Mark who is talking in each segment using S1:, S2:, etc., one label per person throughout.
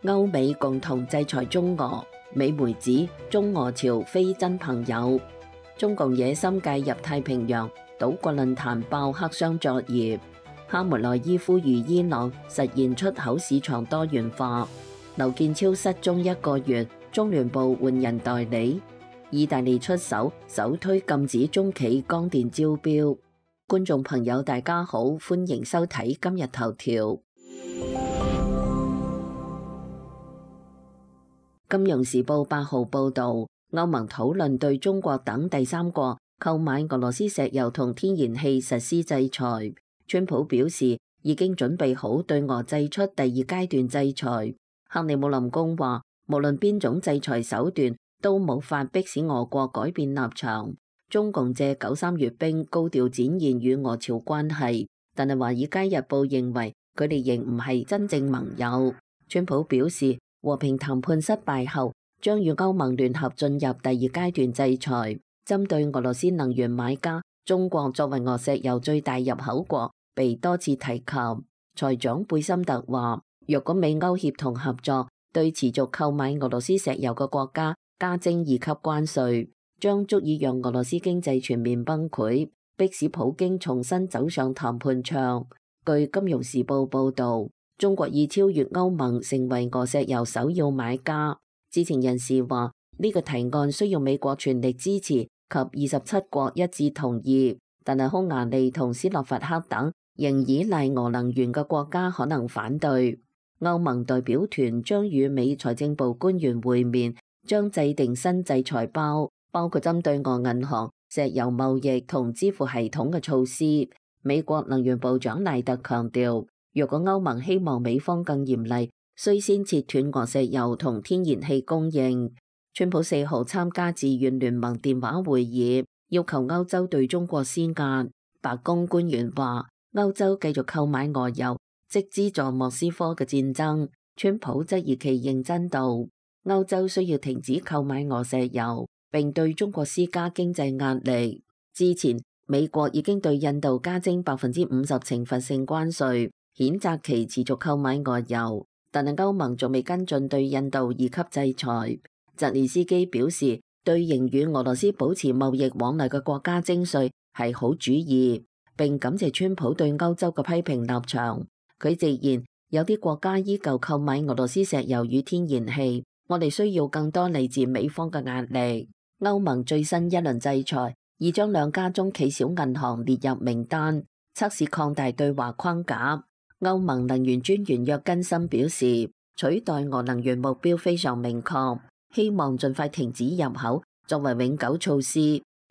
S1: 歐美共同制裁中俄，美媒指中俄朝非真朋友。中共野心介入太平洋，島國論壇爆黑箱作業。哈梅內伊呼籲伊朗實現出口市場多元化。劉建超失蹤1個月，中聯部換人代理。意大利出手首推禁止中企光電招標。觀眾朋友大家好，歡迎收睇今日頭條。金融時報8號報道，歐盟討論對中國等第三國購買俄羅斯石油同天然氣實施制裁。川普表示已經準備好對俄祭出第2階段制裁。克里姆林宮話，無論邊種制裁手段都無法迫使俄國改變立場。中共借93閱兵高調展現與俄朝關係，但係華爾街日報認為佢哋仍唔係真正盟友。川普表示，和平談判失敗後，將與歐盟聯合進入第2階段制裁。針對俄羅斯能源買家，中國作為俄石油最大入口國，被多次提及。財長貝森特話，若果美歐協同合作，對持續購買俄羅斯石油嘅國家加徵2級關稅，將足以讓俄羅斯經濟全面崩潰，迫使普京重新走上談判場。據金融時報報導，中國已超越歐盟成為俄石油首要買家。知情人士話，呢個提案需要美國全力支持及27國一致同意，但係匈牙利同斯洛伐克等仍依賴俄能源嘅國家可能反對。歐盟代表團將與美財政部官員會面，將制定新制裁包括針對俄銀行、石油貿易同支付系統嘅措施。美國能源部長賴特強調，若果歐盟希望美方更嚴厲，需先切斷俄石油同天然氣供應。川普4號參加自願聯盟電話會議，要求歐洲對中國施壓。白宮官員話，歐洲繼續購買俄油，即資助莫斯科嘅戰爭。川普質疑其認真度，歐洲需要停止購買俄石油，並對中國施加經濟壓力。之前美國已經對印度加徵50%懲罰性關稅，譴責其持續購買俄油，但係歐盟仲未跟進對印度2級制裁。澤連斯基表示，對仍與俄羅斯保持貿易往來嘅國家徵稅係好主意，並感謝川普對歐洲嘅批評立場。佢直言，有啲國家依舊購買俄羅斯石油與天然氣，我哋需要更多嚟自美方嘅壓力。歐盟最新一輪制裁已將2家中企小銀行列入名單，測試擴大對華框架。歐盟能源專員約根森表示，取代俄能源目標非常明確，希望盡快停止入口作為永久措施。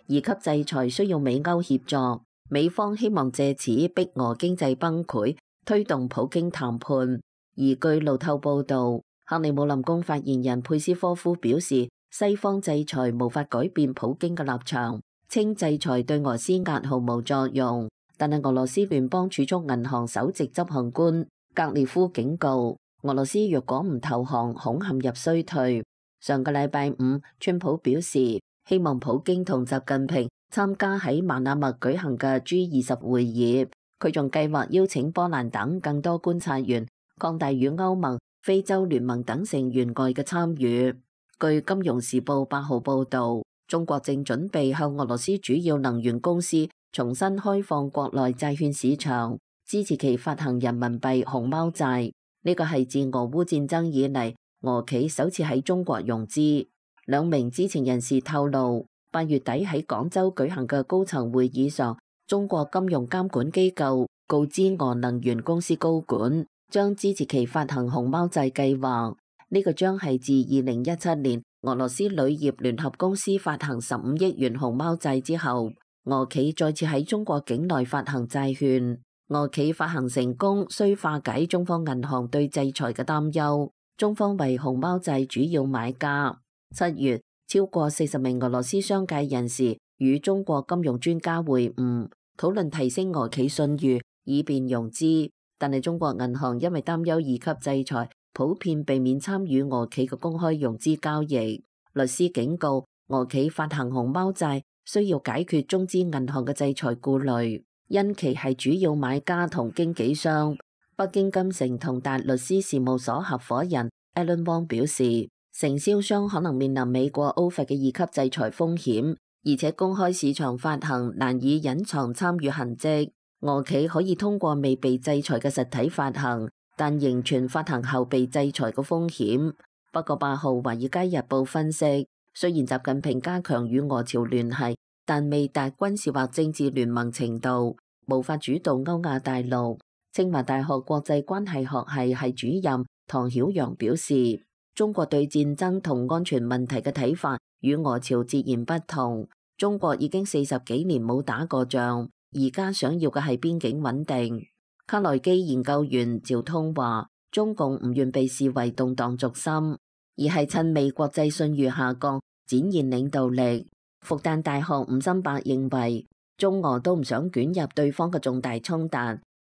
S1: 2級制裁需要美歐協助，美方希望借此逼俄經濟崩潰，推動普京談判。而據路透報導，克里姆林宮發言人佩斯科夫表示，西方制裁無法改變普京嘅立場，稱制裁對俄施壓毫無作用。但係俄羅斯聯邦儲蓄銀行首席執行官格列夫警告，俄羅斯若果唔投降，恐陷入衰退。上個禮拜五，川普表示希望普京同習近平參加喺馬那默舉行嘅 G20 會議。佢仲計劃邀請波蘭等更多觀察員，擴大與歐盟、非洲聯盟等成員國嘅參與。據金融時報8號報導，中國正準備向俄羅斯主要能源公司重新開放國內債券市場，支持其發行人民幣熊貓債。呢個係自俄烏戰爭以嚟，俄企首次喺中國融資。2名知情人士透露，8月底喺廣州舉行嘅高層會議上，中國金融監管機構告知俄能源公司高管，將支持其發行熊貓債計劃。呢個將係自2017年俄羅斯鋁業聯合公司發行15億元熊貓債之後，俄企再次喺中國境內發行債券。俄企發行成功，需化解中方銀行對制裁嘅擔憂。中方為熊貓債主要買家。7月，超過40名俄羅斯商界人士與中國金融專家會晤，討論提升俄企信譽，以便融資。但係中國銀行因為擔憂2級制裁，普遍避免參與俄企嘅公開融資交易。律師警告，俄企發行熊貓債需要解決中資銀行嘅制裁顧慮，因其係主要買家同經紀商。北京金城同達律師事務所合夥人 Alan Wong 表示，承銷商可能面臨美國 OFAC 嘅2級制裁風險，而且公開市場發行難以隱藏參與痕跡。俄企可以通過未被制裁嘅實體發行，但仍存發行後被制裁嘅風險。不過8號《華爾街日報》分析，雖然習近平加強與俄朝聯繫，但未達軍事或政治聯盟程度，無法主導歐亞大陸。清華大學國際關係學系系主任唐曉陽表示，中國對戰爭同安全問題嘅睇法與俄朝截然不同。中國已經40幾年冇打過仗，而家想要嘅係邊境穩定。卡內基研究員趙通話，中共唔願被視為動盪軸心，而係趁美國際信譽下降展現領導力。復旦大學吳森伯認為，中俄都唔想捲入對方嘅重大衝突。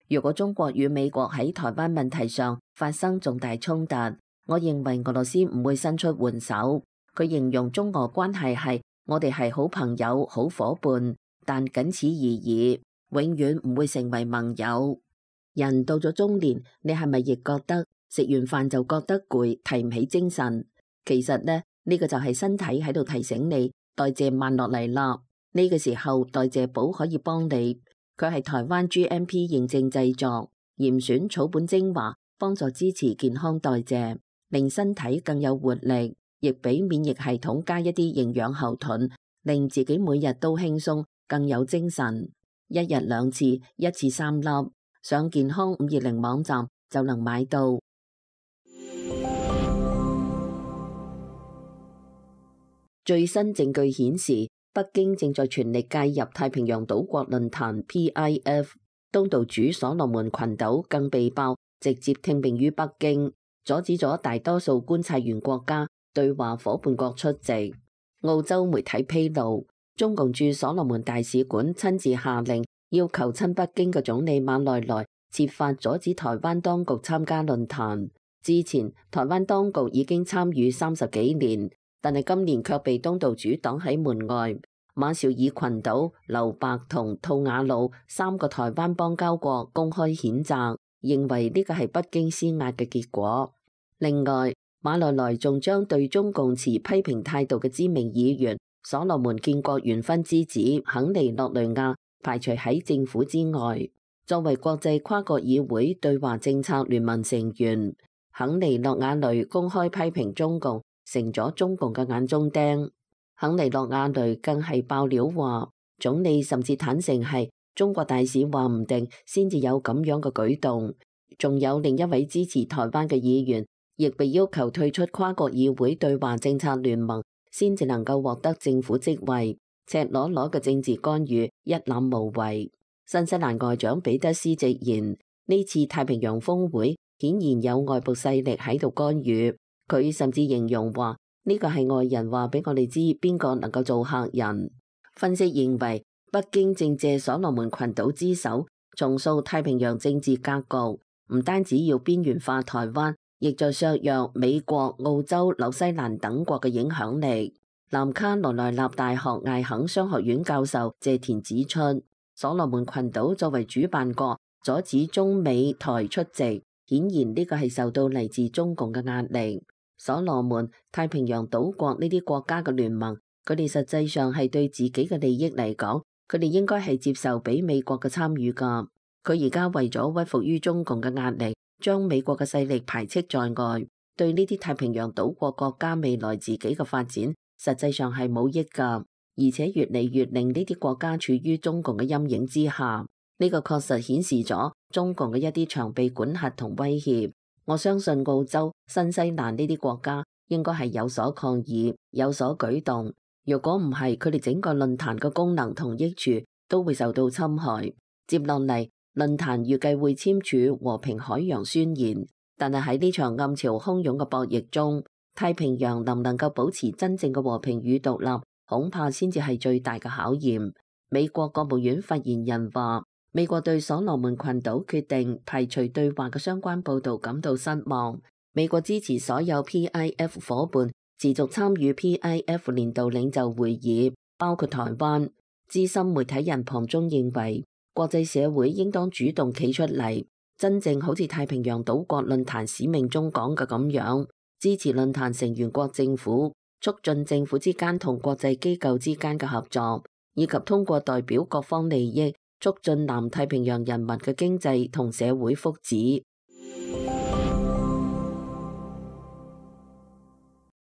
S1: 如果中國與美國喺台灣問題上發生重大衝突，我認為俄羅斯唔會伸出援手。佢形容中俄關係係我哋係好朋友、好夥伴，但僅此而已，永遠唔會成為盟友。人到咗中年，你係咪亦覺得食完飯就覺得攰，提唔起精神？其實呢個就係身體喺度提醒你代謝慢落嚟啦。呢個時候代謝寶可以幫你。佢係台灣 GMP 認證製作，嚴選草本精華，幫助支持健康代謝，令身體更有活力，亦俾免疫系統加一啲營養後盾，令自己每日都輕鬆，更有精神。1日2次，一次3粒，上健康520網站就能買到。最新證據顯示，北京正在全力介入太平洋島國論壇 PIF， 東道主所羅門群島更被爆直接聽命於北京，阻止咗大多數觀察員國家對話夥伴國出席。澳洲媒體披露，中共駐所羅門大使館親自下令，要求親北京嘅總理馬內萊設法阻止台灣當局參加論壇。之前台灣當局已經參與30幾年。但係今年卻被東道主擋喺門外。馬紹爾群島、留白同吐瓦魯3個台灣邦交國公開譴責，認為呢個係北京施壓嘅結果。另外，馬內萊仲將對中共持批評態度嘅知名議員所羅門建國元勳之子肯尼諾雷亞排除喺政府之外。作為國際跨國議會對華政策聯盟成員，肯尼諾亞雷公開批評中共，成咗中共嘅眼中釘。肯尼諾亞雷更係爆料話，總理甚至坦承係中國大使話唔定先至有咁樣嘅舉動。仲有另一位支持台灣嘅議員，亦被要求退出跨國議會對華政策聯盟，先至能夠獲得政府職位。赤裸裸嘅政治干預，一覽無遺。新西蘭外長彼得斯直言，呢次太平洋峰會顯然有外部勢力喺度干預。佢甚至形容話，呢個係外人話俾我哋知邊個能夠做客人。分析認為，北京正借所羅門群島之手重塑太平洋政治格局，唔單止要邊緣化台灣，亦在削弱美國、澳洲、紐西蘭等國嘅影響力。南卡羅來納大學艾肯商學院教授謝田指出，所羅門群島作為主辦國，阻止中美台出席，顯然呢個係受到嚟自中共嘅壓力。所羅門、太平洋島國呢啲國家嘅聯盟，佢哋實際上係對自己嘅利益嚟講，佢哋應該係接受俾美國嘅參與㗎。佢而家為咗屈服於中共嘅壓力，將美國嘅勢力排斥在外，對呢啲太平洋島國國家未來自己嘅發展，實際上係冇益㗎，而且越嚟越令呢啲國家處於中共嘅陰影之下。呢個確實顯示咗中共嘅一啲長臂管轄同威脅。我相信澳洲、新西蘭呢啲國家應該係有所抗議、有所舉動。如果唔係，佢哋整個論壇嘅功能同益處都會受到侵害。接落嚟，論壇預計會簽署和平海洋宣言，但係喺呢場暗潮洶湧嘅博弈中，太平洋能唔能夠保持真正嘅和平與獨立，恐怕先至係最大嘅考驗。美國國務院發言人話，美國對所羅門群島決定排除對話嘅相關報導感到失望。美國支持所有 PIF 夥伴持續參與 PIF 年度領袖會議，包括台灣。資深媒體人龐中認為，國際社會應當主動企出嚟，真正好似太平洋島國論壇使命中講嘅咁樣，支持論壇成員國政府，促進政府之間同國際機構之間嘅合作，以及通過代表各方利益，促進南太平洋人民嘅經濟同社會福祉。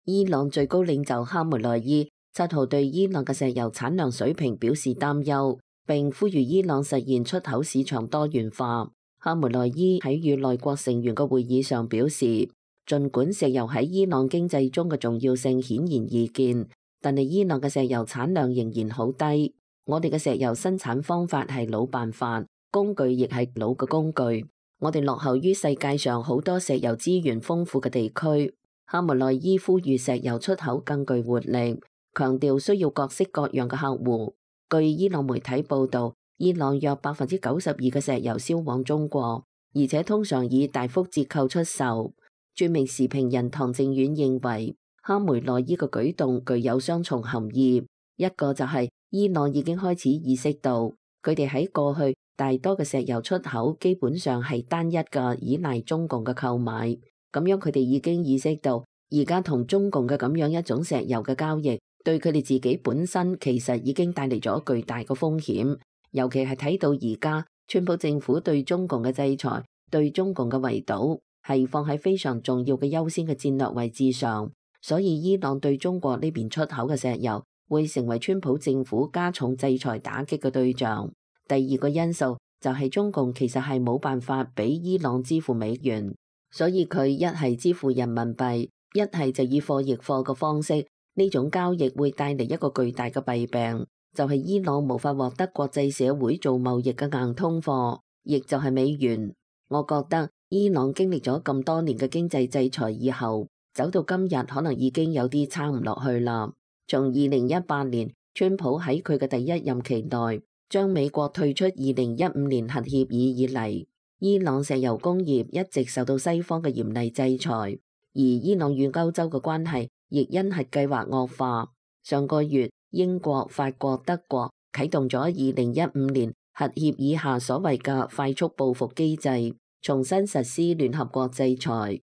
S1: 伊朗最高領袖哈梅內伊7號對伊朗嘅石油產量水平表示擔憂，並呼籲伊朗實現出口市場多元化。哈梅內伊喺與內閣成員嘅會議上表示，儘管石油喺伊朗經濟中嘅重要性顯然易見，但係伊朗嘅石油產量仍然好低。我哋嘅石油生產方法係老辦法，工具亦係老嘅工具。我哋落後於世界上好多石油資源豐富嘅地區。哈梅內伊呼籲石油出口更具活力，強調需要各式各樣嘅客戶。據伊朗媒體報導，伊朗約92%嘅石油銷往中國，而且通常以大幅折扣出售。著名時評人唐正遠認為，哈梅內伊嘅舉動具有雙重含義，一個就係伊朗已經開始意識到，佢哋喺過去大多嘅石油出口基本上係單一嘅依賴中共嘅購買。咁樣佢哋已經意識到，而家同中共嘅咁樣一種石油嘅交易，對佢哋自己本身其實已經帶嚟咗巨大嘅風險。尤其係睇到而家川普政府對中共嘅制裁，對中共嘅圍堵，係放喺非常重要嘅優先嘅戰略位置上。所以伊朗對中國呢邊出口嘅石油，會成為川普政府加重制裁打擊嘅對象。第二個因素就係中共其實係冇辦法俾伊朗支付美元。所以佢一係支付人民幣，一係就以貨易貨嘅方式，呢種交易會帶嚟一個巨大嘅弊病，就係伊朗無法獲得國際社會做貿易嘅硬通貨，亦就係美元。我覺得伊朗經歷咗咁多年嘅經濟制裁以後，走到今日可能已經有啲撐唔落去啦。從2018年川普喺佢嘅第一任期內將美國退出2015年核協議以嚟，伊朗石油工業一直受到西方嘅嚴厲制裁，而伊朗與歐洲嘅關係亦因核計劃惡化。上個月，英國、法國、德國啟動咗2015年核協議下所謂嘅快速報復機制，重新實施聯合國制裁。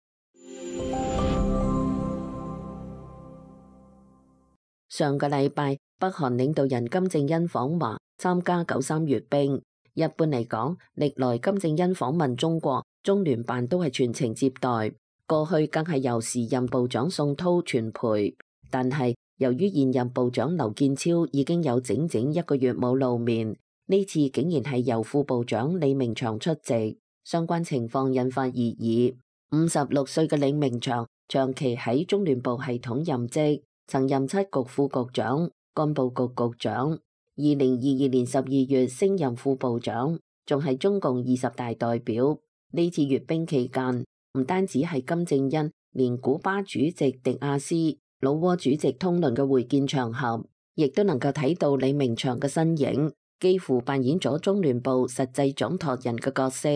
S1: 上個禮拜，北韓領導人金正恩訪華，參加93閱兵。一般嚟講，歷來金正恩訪問中國，中聯辦都係全程接待，過去更係由時任部長宋濤全陪。但係由於現任部長劉建超已經有整整1個月冇露面，呢次竟然係由副部長李明祥出席，相關情況引發熱議。56歲嘅李明祥長期喺中聯部系統任職，曾任7局副局長、幹部局局長。2022年12月升任副部長，仲係中共20大代表。呢次閱兵期間，唔單止係金正恩，連古巴主席迪亞斯、老撾主席通倫嘅會見場合，亦都能夠睇到李明祥嘅身影，幾乎扮演咗中聯部實際掌舵人嘅角色。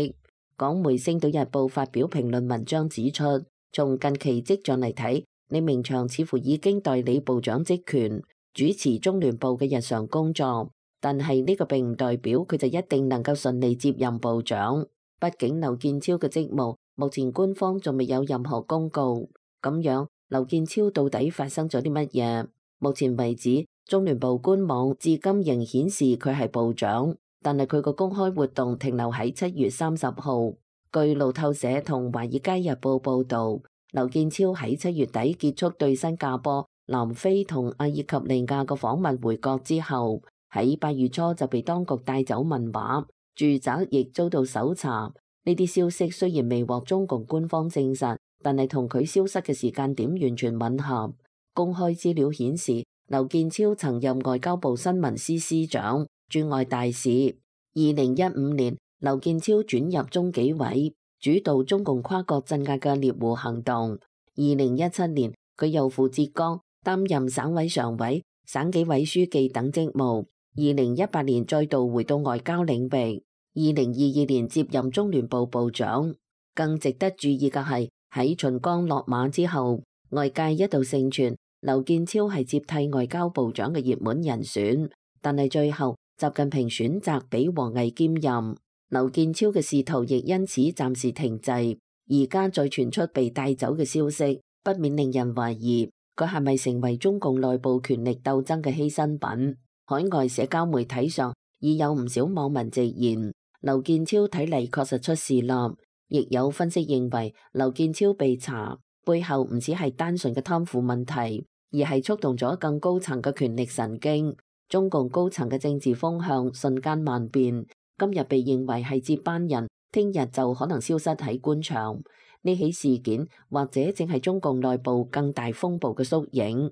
S1: 港媒《星島日報》發表評論文章指出，從近期跡象嚟睇，李明祥似乎已經代理部長職權，主持中聯部嘅日常工作，但係呢個並唔代表佢就一定能夠順利接任部長。畢竟劉建超嘅職務目前官方仲未有任何公告。咁樣劉建超到底發生咗啲乜嘢？目前為止，中聯部官網至今仍顯示佢係部長，但係佢個公開活動停留喺7月30號。據路透社同華爾街日報報導，劉建超喺7月底結束對新加坡、南非同阿爾及利亞嘅訪問回國之後，喺8月初就被當局帶走問話，住宅亦遭到搜查。呢啲消息雖然未獲中共官方證實，但係同佢消失嘅時間點完全吻合。公開資料顯示，劉建超曾任外交部新聞司司長、駐外大使。2015年，劉建超轉入中紀委，主導中共跨國鎮壓嘅獵狐行動。2017年，佢又赴浙江擔任省委常委、省紀委書記等職務。2018年再度回到外交領域。2022年接任中聯部部長。更值得注意嘅係，喺秦剛落馬之後，外界一度盛傳劉建超係接替外交部長嘅熱門人選，但係最後習近平選擇俾王毅兼任，劉建超嘅仕途亦因此暫時停滯。而家再傳出被帶走嘅消息，不免令人懷疑佢係咪成為中共內部權力鬥爭嘅犧牲品。海外社交媒體上已有唔少網民直言，劉建超睇嚟確實出事啦。亦有分析認為，劉建超被查背後唔只係單純嘅貪腐問題，而係觸動咗更高層嘅權力神經。中共高層嘅政治風向瞬間萬變，今日被認為係接班人，聽日就可能消失喺官場。呢起事件或者正係中共內部更大風暴嘅縮影。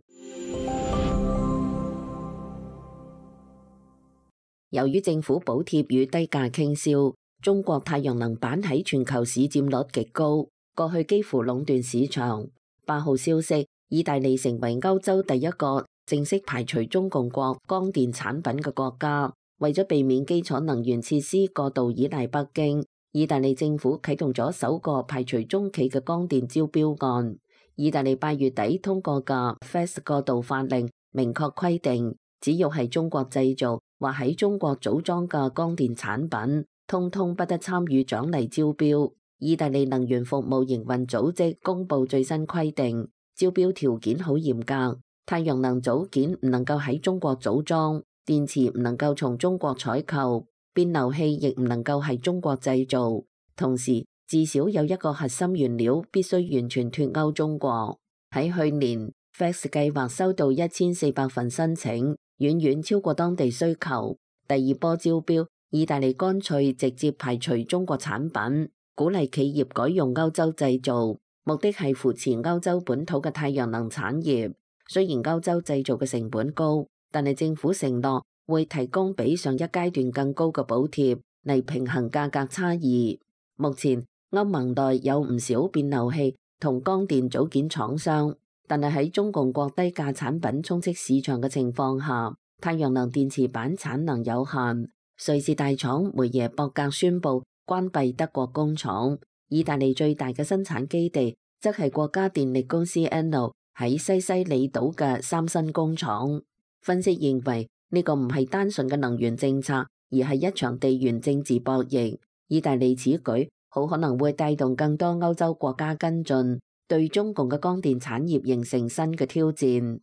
S1: 由於政府補貼與低價傾銷，中國太陽能板喺全球市佔率極高，過去幾乎壟斷市場。8號消息，意大利成為歐洲第一個正式排除中共國光電產品嘅國家。為咗避免基礎能源設施過度依賴北京，意大利政府啟動咗首個排除中企嘅光電招標案。意大利8月底通過嘅 FES 過渡法令明確規定，只要係中國製造或喺中國組裝嘅光電產品，通通不得參與獎勵招標。意大利能源服務營運組織公布最新規定，招標條件好嚴格，太陽能組件唔能夠喺中國組裝，電池唔能夠從中國採購，變流器亦唔能夠係中國製造，同時至少有一個核心原料必須完全脫鈎中國。喺去年 FES 計劃收到1400份申請，遠遠超過當地需求。第二波招標，意大利乾脆直接排除中國產品，鼓勵企業改用歐洲製造，目的係扶持歐洲本土嘅太陽能產業。雖然歐洲製造嘅成本高，但係政府承諾會提供比上一階段更高嘅補貼嚟平衡價格差異。目前歐盟內有唔少變流器同光電組件廠商，但係喺中共國低價產品充斥市場嘅情況下，太陽能電池板產能有限。瑞士大廠梅耶博格宣布關閉德國工廠，意大利最大嘅生產基地則係國家電力公司 Enel 喺西西里島嘅三新工廠。分析認為呢個唔係單純嘅能源政策，而係一場地緣政治博弈。意大利此舉好可能會帶動更多歐洲國家跟進，對中共嘅光電產業形成新嘅挑戰。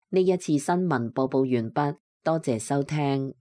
S1: 呢一次新聞播報完畢，多謝收聽。